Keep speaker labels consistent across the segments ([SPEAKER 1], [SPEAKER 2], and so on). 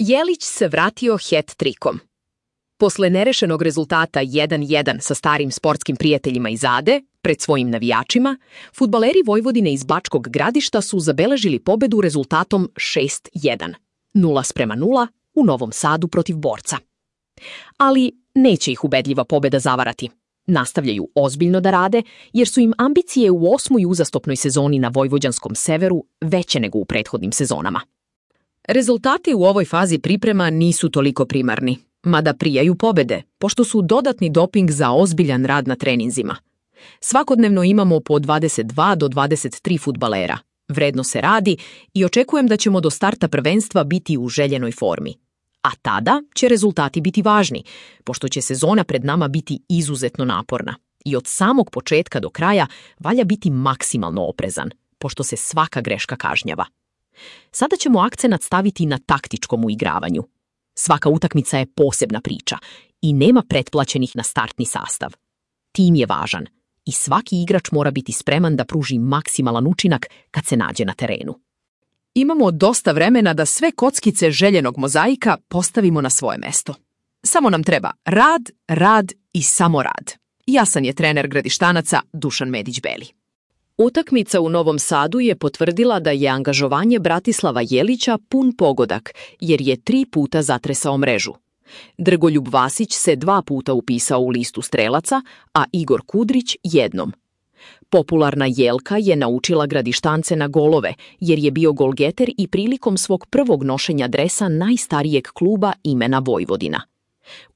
[SPEAKER 1] Jelić se vratio hat-trikom. Posle nerešenog rezultata 1:1 sa starim sportskim prijateljima iz Ade, pred svojim navijačima, fudbaleri Vojvodine iz Bačkog Gradišta su zabeležili pobedu rezultatom 6:1, 0:0 u Novom Sadu protiv Borca. Ali neće ih ubedljiva pobeda zavarati. Nastavljaju ozbiljno da rade, jer su im ambicije u 8. uzastopnoj sezoni na vojvođanskom severu veće nego u prethodnim sezonama. Rezultati u ovoj fazi priprema nisu toliko primarni, mada prijaju pobede, pošto su dodatni doping za ozbiljan rad na treninzima. Svakodnevno imamo po 22 do 23 fudbalera. Vredno se radi i očekujem da ćemo do starta prvenstva biti u željenoj formi. A tada će rezultati biti važni, pošto će sezona pred nama biti izuzetno naporna. I od samog početka do kraja valja biti maksimalno oprezan, pošto se svaka greška kažnjava. Sada ćemo akcenat staviti na taktičkom uigravanju. Svaka utakmica je posebna priča i nema pretplaćenih na startni sastav. Tim je važan i svaki igrač mora biti spreman da pruži maksimalan učinak kad se nađe na terenu. Imamo dosta vremena da sve kockice željenog mozaika postavimo na svoje mesto. Samo nam treba rad, rad i samo rad. Jasan je trener Gradištanaca Dušan Medić-Beli. Utakmica u Novom Sadu je potvrdila da je angažovanje Bratislava Jelića pun pogodak, jer je 3 puta zatresao mrežu. Drgoljub Vasić se 2 puta upisao u listu strelaca, a Igor Kudrić jednom. Popularna Jelka je naučila Gradištance na golove, jer je bio golgeter i prilikom svog prvog nošenja dresa najstarijeg kluba imena Vojvodina.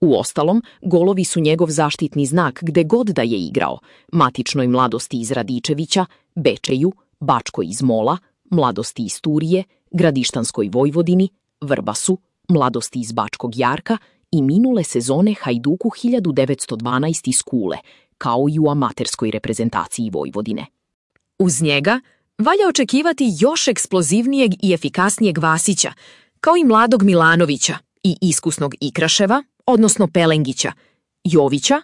[SPEAKER 1] Uostalom, golovi su njegov zaštitni znak gde god da je igrao, matičnoj mladosti iz Radičevića, Bečeju, Bačkoj iz Mola, mladosti iz Turije, Gradištanskoj Vojvodini, Vrbasu, mladosti iz Bačkog Jarka i minule sezone Hajduku 1912 iz Kule, kao i u amaterskoj reprezentaciji Vojvodine. Uz njega valja očekivati još eksplozivnijeg i efikasnijeg Vasića, kao i mladog Milanovića i iskusnog Ikraševa, odnosno Pelengića, Jovića